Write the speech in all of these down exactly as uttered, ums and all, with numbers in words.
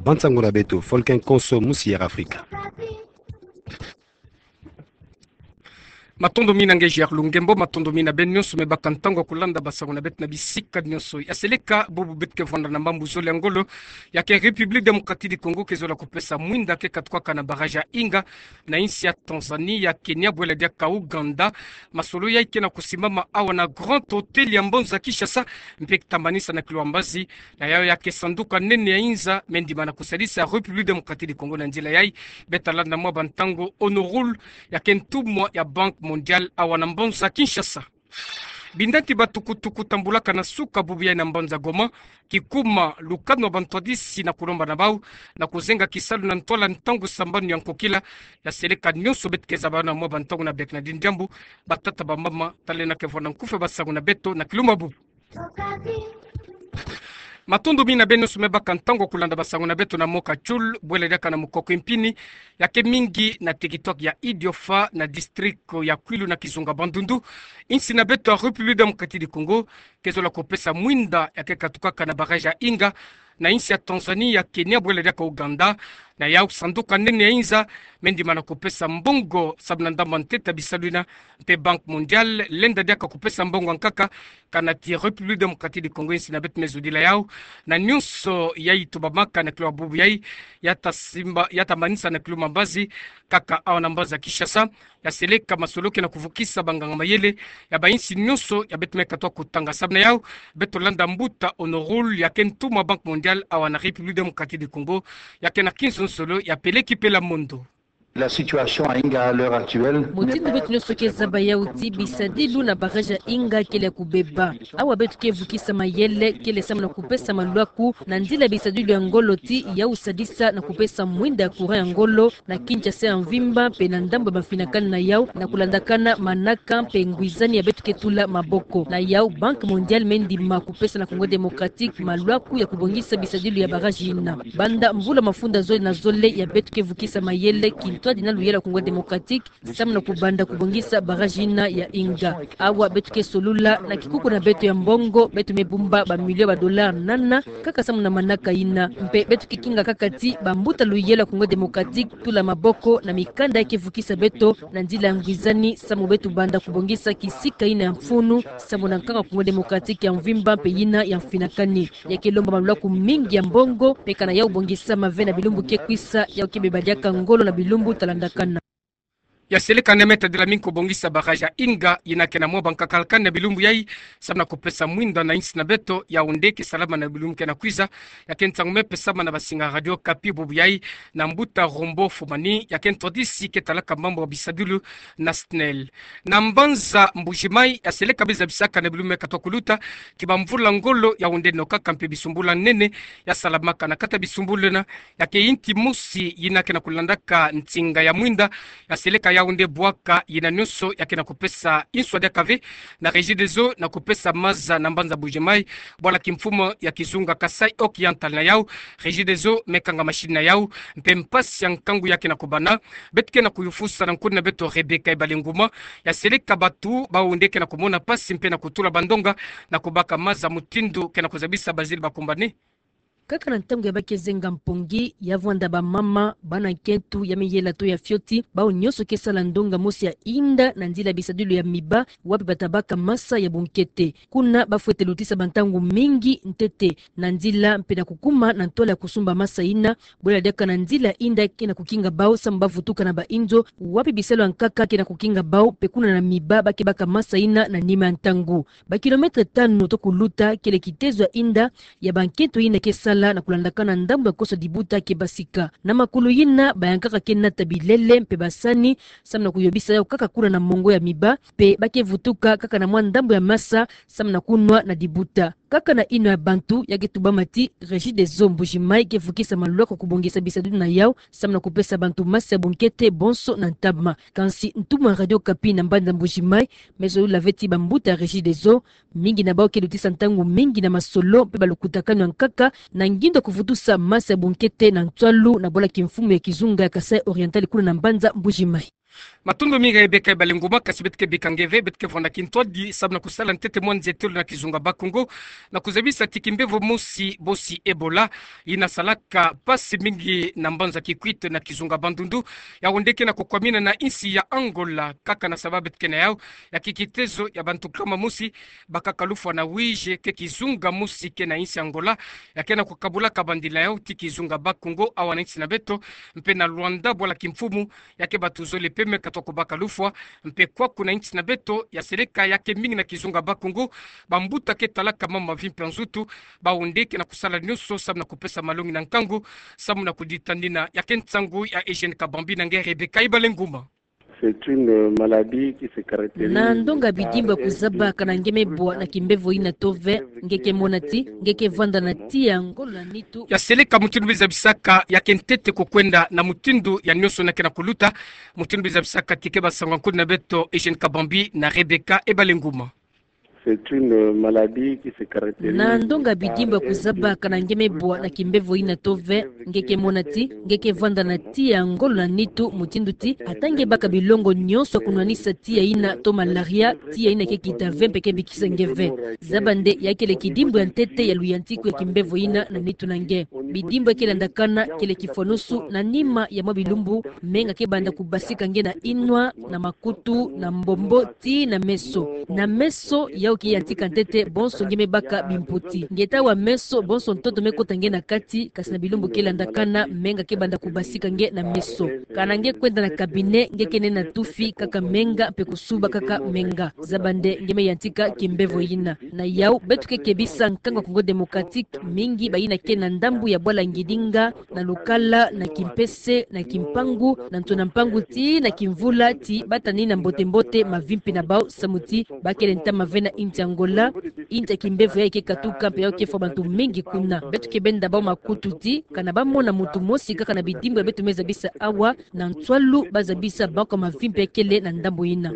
Bansango na beto, Folken Konso, Musi Air Afrika. Matondo mingi na ngeji ya lungembo, matondo mingi na beno nyonso me baka ntangu ya kulanda bansango na beto na bisika nyonso. Ya seleka bubu beto ke vwanda na mambu zole ya ngolo, ya ke République Démocratique du Congo ke zola kupesa mwinda ke katukaka na barrage ya Inga, na insi ya Tanzanie, ya Kenya, bwela diaka Ouganda. Masolo yai ke na kusimbama awa na Grand Hôtel ya mbanza Kinshasa, mpe ke tambanisa na kilwa mbazi, na yau ya ke sanduka nene ya inza me ndima na kusadisa République Démocratique du Congo na nzila yai. Beto ta landa mwa bantangu honorable ya ke ntumwa ya Banque Mondiale awa na mbanza Kinshasa. Bindanti ba tukutuku tambulaka na suka bubu yai na mbanza Goma, kikuma lukanu ya bantwadisi na kulomba na bau na kuzenga kisalu na ntwala ntangu sambanu ya nkokila. Ya seleka nyonso beto ke zaba na mwa bantangu na bek na dindiambu, batata bamama, taleno ke vwanda nkufi ya bansango na beto na kilumbu ya bubu. Matondo mingi na beno nyonso me baka ntangu ya kulanda bansango na beto na Mokatiul, bwela diaka na Mukoko Mpini, ya ke mingi na territoire ya Idiofa na district ya Kwilu na kizunga Bandundu. Insi na beto ya République Démocratique du Congo ke zola kupesa mwinda ya ke katukaka na barrage ya Inga, na insi ya Tanzanie, ya Kenya, bwela diaka Ouganda. Na yau sanduka nene ya inza me ndima na kupesa mbongo sabu na ndambu ya ntete ya bisalu yina, mpe Banque Mondiale lenda diaka kupesa mbongo ya nkaka, kana ti République Démocratique du Congo insi na beto me zodila yau. Na nyonso yai tubamaka na kilumbu ya bubu yai, ya ta simba, ya tambanisa na kilumbu ya mbazi, kaka awa na mbanza Kinshasa. Ya seleka masolo ke na kuvukisa banganga mayele ya bainsi nyonso ya beto me katuka kutanga. Sabu na yau, beto landa mbuta honorable ya ke ntumwa Banque Mondiale awa na République Démocratique du Congo, ya ke na kinzonzolo ya peleki pela mondo. La situation à Inga à l'heure actuelle. Mutindu beto nyonso ke zaba yau ti bisadilu na barrage ya Inga kele ya kubeba. Awa beto ke vukisa mayele kele samu na kupesa malwaku na nzila bisadilu ya ngolo ti yau sadisa na kupesa mwinda ya courant ya ngolo na Kinshasa ya mvimba mpe na ndambu ya mafinakani na yau, na kulandakana manaka mpe ngwizani ya beto ke tula maboko. Na yau Banque Mondiale me ndima kupesa na Congo Démocratique malwaku ya kubongisa bisadilu ya barrage yina. Banda mvula mafunda zole na zole ya beto ke vukisa mayele kintwadi na luyela Congo Démocratique samu na kubanda kubongisa barrage yina ya Inga. Awa beto ke solula na kikuku na beto ya mbongo, beto me bumba ba million ba dollars nana kaka samu na manaka yina. Mpe beto ke kinga kaka ti bambuta luyela Congo Démocratique tula maboko na mikanda ya ke vukisa beto na nzila ya ngwizani samu beto banda kubongisa kisika yina ya mfunu, samu na nkanga Congo Démocratique ya mvimba mpe yina ya mfinakani. Ya ke lomba malwaku mingi ya mbongo, mpe kana yau bongisa mave na bilumbu ke kwisa, yau ke beba diaka ngolo na bilumbu ta landakana. Ya seleka neme tadila mingi kubongisa barrage ya Inga, yina ke na mwa ba nkakalakani na bilumbu yai, samu na kupesa mwinda na insi na beto, Yaoundé, ke salama na bilumbu ke na kwiza. Ya ke nsangu me pesama na basinga Radio Okapi bubu yai, na mbuta Rombo Fumani, ya ke ntwadisi ke talaka mambu ya bisadilu na SNEL. Na mbanza Mbuji-Mayi, ya seleka bie zabisaka na bilumbu me katuka kuluta, ki bamvula ngolo Yaoundé nokaka mpe bisumbula nene ya salamaka. Na kati ya bisumbula yina, ya ke inti mosi yina ke na kulandaka ntinga ya mwinda, ya seleka Yaoundé bwaka yina nyonso ya ke na kupesa inswa diaka ve na Regideso na kupesa maza na mbanza Mbuji-Mayi, bwala kimfumu ya kizunga Kasaï Oriental. Na yau, Regideso me kanga machine na yau, mpe mpasi ya nkangu ya ke na kubana. Beto ke na kuyufusa na nkuni na beto Rebecca Ebale Nguma, ya seleka batu bau nde ke na kumona mpasi mpe na kutula bandonga na kubaka maza mutindu ke na kuzabisa bazili bakumbani. Kaka na ntangu ya ba ke zenga mpongi, ya vwanda bamama, bana nkento, ya miyela to ya fioti, bau nyonso ke sala ndonga mosi ya inda na nzila bisadilu ya miba, wapi ba ta baka masa ya bunkete. Kuna ba fwete lutisa bantangu mingi ntete na nzila mpe na kukuma na ntwala ya kusumba masa yina, bwela diaka na nzila inda ke na kukinga bau samu ba vutuka na bainzo, wapi bisalu ya nkaka ke na kukinga bau, mpe kuna na miba ba ke baka masa yina na nima ya ntangu. Ba kilomètre tanu to kuluta kele kitezo ya inda ya bankento yina ke sala na kulandakana ndambu ya koso dibuta ke basika. Na makulu yina, bayankaka ke nata bilele mpe basani, samu na kuyobisa yau kaka kuna na mongo ya miba, mpe ba ke vutuka kaka na mwa ndambu ya masa, samu na kunwa na dibuta. Kaka na inwa ya bantu ya ke tubama ti Regideso Mbuji-Mayi ke vukisa malwaku kubongisa bisadilu na yau, samu na kupesa bantu masa ya bunkete bonso na ntama. Kansi ntumwa Radio Okapi na mbanza Mbuji-Mayi, me zolula ve ti bambuta ya Regideso, mingi na bau ke lutisa ntangu mingi na masolo mpe balukutakanu ya nkaka, na ngindo ya kuvutusa masa ya bunkete na ntwalu na bwala kimfumu ya kizunga ya Kasaï Oriental kuna na mbanza Mbuji-Mayi. Matondo mingi Rebecca Ebalenguma. Kasi beto ke bika nge ve, beto ke vwanda kintwadi sababu na kusala ntete mwa nzietelo na kizunga Bakongo, na kuzabisa ti kimbevo mosi bosi Ebola, ina salaka mpasi mingi na mbanza Kikwit na kizunga Bandundu, yawu nde ke na kukwamina na insi ya Angola, kaka na sababu beto ke na yau ya kikitezo ya bantu nkama mosi bakaka lufwa na Uíge, ke kizunga mosi ke na insi Angola, ya ke na kukabulaka bandila yau ti kizunga Bakongo awa na insi na beto, mpe na Luanda, bwala kimfumu, ya ke bato zole peme katwa kubaka lufwa. Mpe kwaku na insi na beto, ya seleka ya ke mingi na kizunga Bakongo, bambuta ke talaka mambu mavimpi ya nzutu, bawu nde ke na kusala nyonso sababu na kupesa malongi na nkangu, sababu na kuditanina. Ya ke nsangu ya Eugène Kabambi na nge Rebecca Ebalenguma. C'est une maladie qui se caractérise. Na ndonga bidimbu ya kuzaba kana nge me bwa na kimbevo ina to ve, nge ke mona ti nge ke vwanda na tiya ngolo na nitu. Ya seleka mutindu bi zabisaka ya ke ntete kukwenda na mutindu ya nyonso na ke na kuluta, mutindu bi zabisaka ti ke basangu ya nkudi na beto Eugène Kabambi na Rebecca Ebalenguma. C'est une maladie qui se caractérise. Na ndonga bidimbu ya kuzaba kana nge me bwa na kimbevo ina to ve, nge ke mona ti nge ke vwanda na tiya ngolo na nitu, mutindu ti ata nge baka bilongo nyonso ya kunwanisa tiya ina to malaria, tiya ina ke kita ve mpe ke bikisa nge ve. Zaba nde ya kele kidimbu ya ntete ya luyantiku ya kimbevo ina na nitu na nge. Bidimbu ya ke landakana kele kifwanusu na nima ya mwa bilumbu, menga ke banda kubasika nge na inwa, na makutu, na mbombo, tii na meso. Na meso, yau ke yantika ntete bonso nge me baka bimpoti. Nge ta wa meso, bonso ntoto me kota nge na kati, kasi na bilumbu ke landakana, menga ke banda kubasika nge na meso. Kana nge kwenda na cabinet, nge ke nena tufi kaka menga, mpe kusuba kaka menga. Zaba nde nge me yantika kimbevo ina. Na yau, beto ke kebisa nkangu ya Congo Démocratique, mingi bayina ke na ndambu ya bwala ngidinga, na lukala, na kimpese, na kimpangu, na ntu na mpangu tii na kimvula, ti batanina mbote-mbote mavimpi na bau, samu ti ba kele ntama ve na insi Angola, insi ya kimbevo ya ke katuka mpe ya ke fwa bantu mingi kuna. Beto ke benda bau makutu ti kana ba mona muntu mosi kaka na bidimbu ya beto me zabisa awa, na nswalu ba zabisa bau kwa mavimpi ya kele na ndambu ina.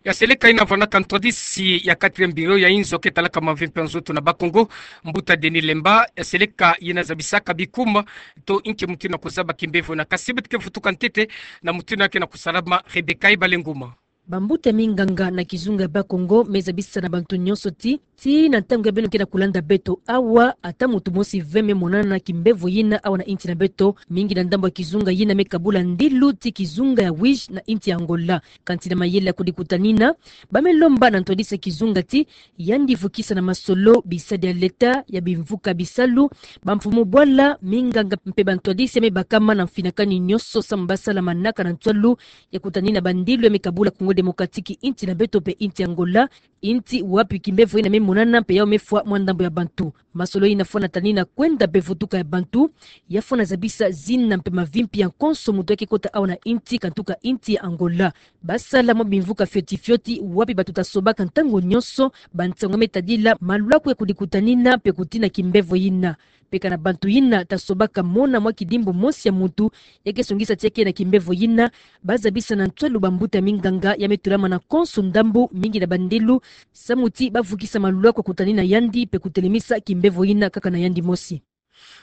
Ya seleka ina vwandaka ntwadisi ya quatrième bureau ya inzo ke talaka mavimpi ya nzutu na Bakongo, mbuta Denis Lemba, ya seleka ina zabisaka bikuma to inki mutindu na kuzaba kimbevo ina, kasi beto ke vutuka ntete na mutindu ya ke na kusalama. Rebecca Ebalenguma. Bambuta minganga na kizunga Bakongo me zabisa na bantu nyonso ti, ti na ntangu ya beno ke na kulanda beto awa, ata muntu mosi ve me monana na kimbevo ina awa na insi na beto, mingi na ndambu ya kizunga ina me kabula ndilu ti kizunga ya Uíge na insi ya Angola. Kansi na mayele ya kudikutanina, ba me lomba na ntwadisi ya kizunga ti yandi vukisa na masolo bisadi ya leta, ya bimvuka bisalu, bamfumu bwala, minganga mpe bantwadisi ya me bakama na mfinakani nyonso samu ba sala manaka na nswalu ya kutanina bandilu ya me kabula Congo Démocratique, insi na beto mpe insi Angola, insi wapi kimbevo ina me monana mpe yau me fwa mwa ndambu ya bantu. Masolo ina fwana tanina kwenda mpe vutuka ya bantu, ya fwana zabisa zina mpe mavimpi ya nkonso muntu ya ke kota awa na insi, kantuka insi ya Angola. Ba sala mwa bimvuka fioti-fioti wapi bato ta sobaka ntangu nyonso bansangu ya me tadila malwaku ya kudikutanina mpe kutina kimbevo ina. Mpe kana bantu ina ta sobaka mona mwa kidimbu mosi ya muntu ya ke songisa ti ya ke na kimbevo ina, ba zabisa na nswalu bambuta minganga ya me tulama na nkonso ndambu, mingi na bandilu, samu ti ba vukisa malwaku ya kutanina yandi mpe kutelemisa kimbevo ina kaka na yandi mosi.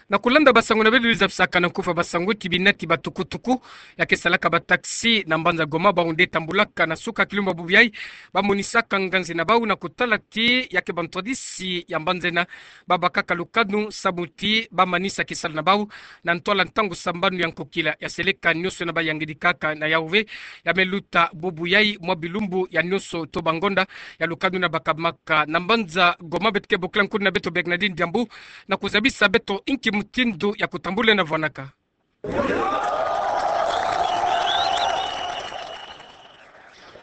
Na kulanda basangu na beno bi zabisaka na nkufa basangu ti binati ba tukutuku ya ke salaka ba taxi na mbanza Goma, bau nde tambulaka na suka kilumbu ya bubu yai, ba monisaka nganzi na bau na kutala ti ya ke bantwadisi ya mbanza ina ba bakaka lukanu samu ti ba manisa kisalu na bau na ntwala ntangu sambanu ya nkokila. Ya seleka nyonso ina ba yangidikaka na yau ve, ya me luta bubu yai mwa bilumbu ya nyonso to bangonda ya lukanu ina ba kabamaka na mbanza Goma. Beto ke bokila nkudi na beto Bernardine Diambu na kuzabisa beto inki mutindu ya kutambula ina vwanaka.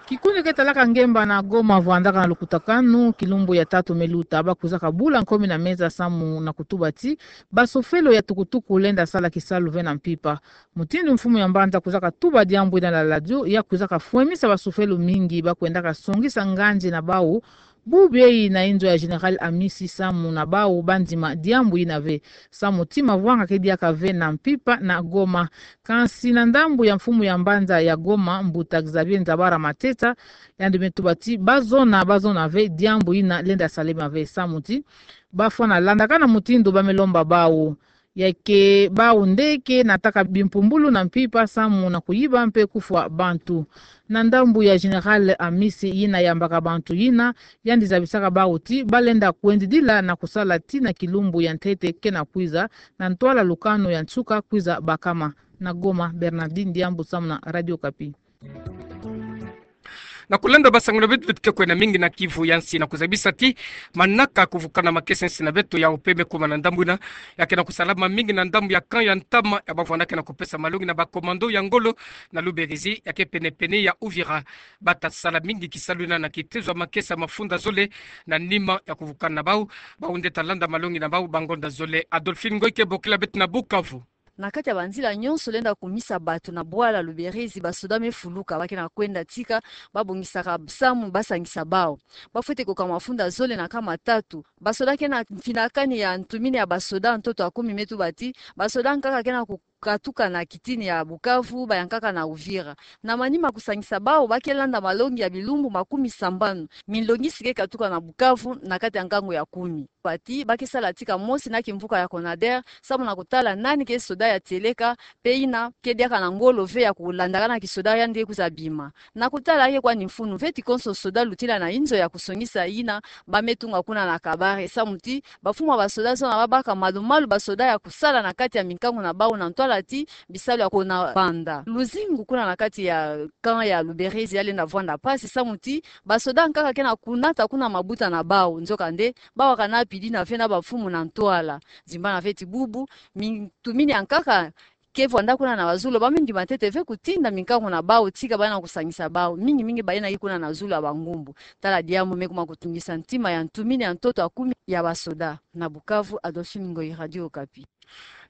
Kikundi ke talaka ngemba na Goma vwandaka na lukutakanu kilumbu ya tatu me luta, ba kwizaka bula nkomi na meza samu na kutuba ti basofelo ya tukutuku lenda sala kisalu ve na mpimpa. Mutindu mfumu ya mbanza kwizaka tuba diambu ina na radio, ya kwizaka fwemisa basofelo mingi ba kwendaka songisa nganzi na bau bubu yai na inzo ya Général Amisi samu na bau ba ndima diambu ina ve, samu ti mavwanga ke diaka ve na mpimpa na Goma. Kansi na ndambu ya mfumu ya mbanza ya Goma, mbuta Xavier Nzabara Mateta, yandi me tuba ti ba zona, ba zona ve diambu ina lenda salema ve, samu ti ba fwana landaka na mutindu ba me lomba bau. Ya ke bau nde ke nataka bimpumbulu na mpimpa samu na kuyiba mpe kufwa bantu. Na ndambu ya Général Amisi yina yambaka bantu yina, yandi zabisaka bau ti balenda kwendidila na kusala tii na kilumbu ya ntete ke na kwiza, na ntwala lukanu ya nsuka kwiza bakama. Na Goma, Bernardine Diambu samu na Radio Okapi. Na kulenda basango na beto, beto ke kwenda mingi na Kivu ya nsi na kuzabisa ti manaka kuvukana makesa nsi na beto ya ope me kuma na ndambu ina, ya ke na kusalama mingi na ndambu ya camp ya ntama ya bavwandaka na kupesa malongi na ba commando ya ngolo na Luberizi, ya ke pene-pene ya Uvira. Bata sala mingi kisalu ina na kitezo ya makesa mafunda zole na nima ya kuvukana na bau. Bau nde ta landa malongi na bau bangonda zole. Adolphine Ngoy ke bokila beto na Bukavu. Na kati ya banzila nyonso lenda kumisa bato na bwala Luberizi, basoda me fuluka, ba ke na kwenda tika, babongisaka samu basangisa bau. Bafwete koka mafunda zole na kama tatu. Basoda ke na mfinakani ya ntumini ya basoda ntoto ya kumi me tuba ti basoda nkaka ke na kukatuka na kitini ya Bukavu, bayankaka na Uvira. Na manima kusangisa bau, ba ke landa malongi ya bilumbu makumi sambanu. Minlongisi ke katuka na Bukavu na kati ya nkangu ya kumi. Ba ti ba ke sala tika mosi na kimvuka ya Conader, samu na kutala nani ke soda ya tieleka, mpe ina ke diaka na ngolo ve ya kulandaka na kisoda yandi ke kwiza bima. Na kutala ke kwani mfunu ve ti konso soda lutila na inzo ya kusongisa ina ba me tunga kuna na Kabare, samu ti bamfumu ya basoda zona babaka malu-malu basoda ya kusala na kati ya minkangu na bau na ntwala ti bisalu ya kona banda. Luzingu kuna na kati ya camp ya Luberizi ya lenda vwanda mpasi, samu ti basoda nkaka ke na kunata kuna mabuta na bau. Nzokande, bawakana pidi na ve na bamfumu na ntwala. Zimbana ve ti bubu, mintumini ya nkaka ke vwanda kuna na bazulu, ba me ndima ntete ve kutinda minkangu na bau, tika bana kusangisa bau. Mingi-mingi bayina ke kuna na zulu ya bangumbu. Tala diambu me kuma kutungisa ntima ya ntumini ya ntoto ya kumi ya basoda. Na Bukavu, Adolphine Ngoyi, Radio Okapi.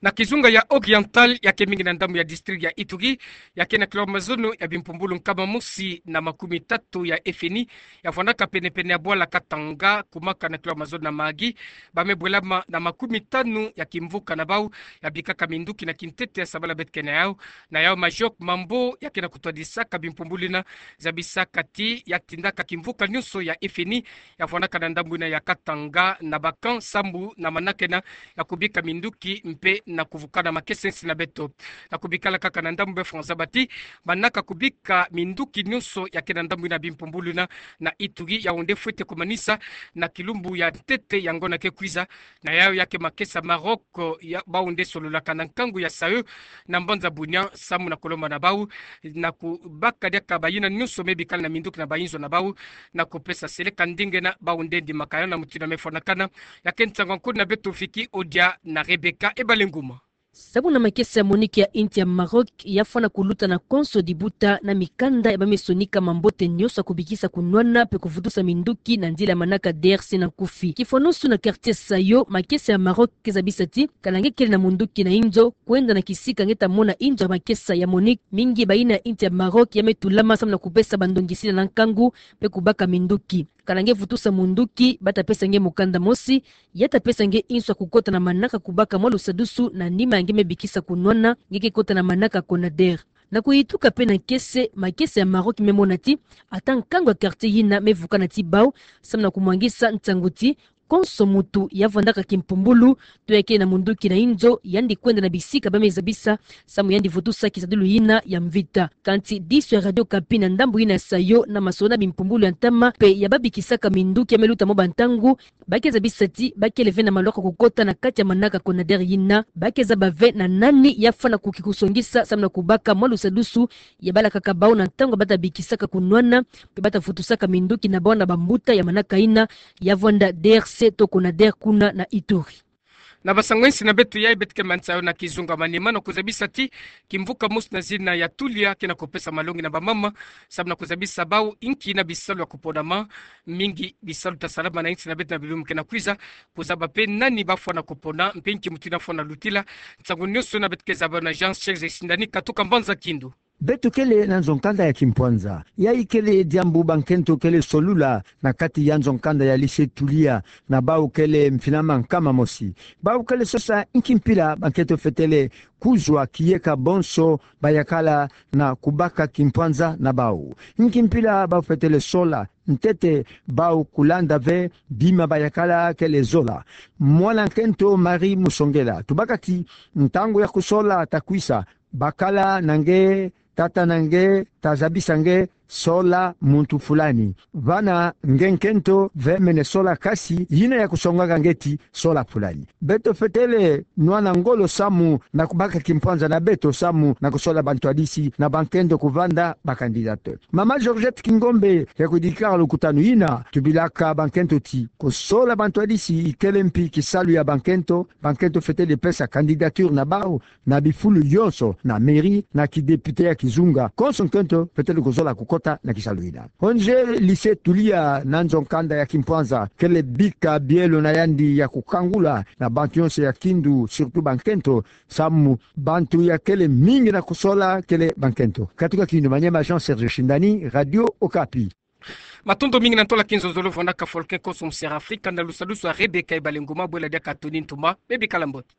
Na kizunga ya Oriental, ya ke mingi na ndambu ya district ya Ituri, ya ke na kilomètre zono ya bimpumbulu nkama mosi na makumi tatu ya F N I, ya vwandaka pene-pene ya bwala Katanga, kumaka na kilomètre zono na Mahagi, ba me bwelama na makumi tanu ya kimvuka na bau, ya bikaka minduki na kintete ya sabala beto ke na yau. Na yau Majok Mambo, ya ke na kutwadisaka bimpumbulu ina, zabisaka ti ya tindaka kimvuka nyonso ya F N I, ya vwandaka na ndambu ina ya Katanga na ba camp sambu na manaka ina ya kubika minduki mpe na kuvukana makesa nsi na beto. Na kubikala kaka na ndambu be François, ba ti manaka kubika minduki nyonso ya ke na ndambu ina bimpumbulu ina na Ituri, yau nde fwete kumanisa na kilumbu ya ntete ya ngonda ke kwiza. Na yau ya ke makesa Maroc, ya bau nde sololaka na nkangu ya S A E na mbanza Bunia, samu na kulomba na bau na kubaka diaka bayina nyonso me bikala na minduki na bayinzo na bau, na kupesa seleka ndinga ina bau nde ndimaka yau na mutindu me fwanakana. Ya ke nsangu ya nkudi na beto Vicky Odia na Rebecca Ebalenguma. Samu na makesa ya MONUC ya insi ya Maroc, ya fwana kuluta na konso dibuta na mikanda ya ba me sonika mambote nyonso ya kubikisa kunwana mpe kuvutusa minduki na nzila ya manaka D R C na nkufi. Kifwanusu na quartier Sayo, makesa ya Maroc ke zabisa ti kana nge kele na munduki na inzo, kwenda na kisika nge ta mona inzo ya makesa ya MONUC, mingi bayina ya insi ya Maroc ya me tulama samu na kupesa bandongisila na nkangu mpe kubaka minduki. Kana nge vutusa munduki, ba ta pesa nge mukanda mosi, ya ta pesa nge inso ya kukota na manaka kubaka mwa lusadusu na nima ya nge me bikisa kunwana, nge ke kota na manaka Conader. Na kuyituka mpe na nkese, makesa ya Maroc me mona ti ata nkangu ya quartier yina me vukana ti bau, samu na kumwangisa nsangu ti konso muntu ya vwandaka kimpumbulu, to ya kele na munduki na inzo, yandi kwenda na bisika ba me zabisa, samu yandi vutusa kisadulu yina ya mvita. Kansi diso ya Radio Okapi na ndambu yina ya Sayo na masolo na bimpumbulu ya ntama mpe ya ba bikisaka minduki ya me luta mwa bantangu, ba ke zabisa ti ba kele ve na malwaka kukota na kati ya manaka Conader yina, ba ke zaba ve na nani ya fwana kuki kusongisa samu na kubaka mwa lusadusu ya balakaka bau na ntangu ba ta bikisaka kunwana mpe ba ta vutusaka minduki na bau na bambuta ya manaka yina ya vwanda D R C to Conader kuna na Ituri. Na basango ya insi na beto yayi beto ke manisa yo na kizunga manima na kuzabisa ti kimvuka mosi na zina ya Tulia ke na kupesa malongi na bamama, samu na kuzabisa bau inki na bisalu ya kuponama. Mingi bisalu ta salama na insi na beto na bilumbu ke na kwiza, kuzaba mpe nani ba fwana kupona, mpe inki muntu yina fwana lutila. Nsangu nyonso yina beto ke zaba na Jean Serge Sindani katuka mbanza Kindu. Beto kele na nzo nkanda ya kimpwanza. Ya ikele diambu bankento kele solula na kati ya nzo nkanda ya lycée Tulia, na bau kele mfinama nkama mosi. Bau kele sosa nki mpila bankento fetele kuzwa kiyeka bonso bayakala na kubaka kimpwanza na bau. Nki mpila bau fetele sola, ntete bau kulanda ve bima bayakala kele zola. Mwana nkento Marie Musongela, tubaka ti ntangu ya kusola takwisa, bakala na nge, tata na nge, tazabisa nge, sola muntu fulani. Vana nge nkento, vemene sola kasi, yina ya kusongaka nge ti, sola fulani. Beto fetele nwana ngolo samu na kubaka kimpwanza na beto samu na kusola bantwadisi na bankento kuvanda ba candidature. Mama Georgette Kingombe ya kudikala lukutanu yina, tubilaka bankento ti, kusola bantwadisi ikele mpi kisalu ya bankento, bankento fetele pesa candidature na bau, na bifulu yonso, na mairie, na kidéputé ya kizunga, konso nkento fetele kuzola kukota na kisalu yina. Onge lycée Tulia na nzo nkanda ya kimpwanza, kele bika bielo na yandi ya kukangula na bantu yonso ya kindu, surtout bankento, samu bantu ya kele mingi na kusola kele bankento. Katuka Kindu, Maniema Jean Serge Shindani, Radio Okapi. Matondo mingi na ntola kinzonzolo vwandaka folke konso mu Sierra Afrika, na lusalusu a Rebecca Ibalenguma, bwela diaka Tony Ntuma, bebikala mbote.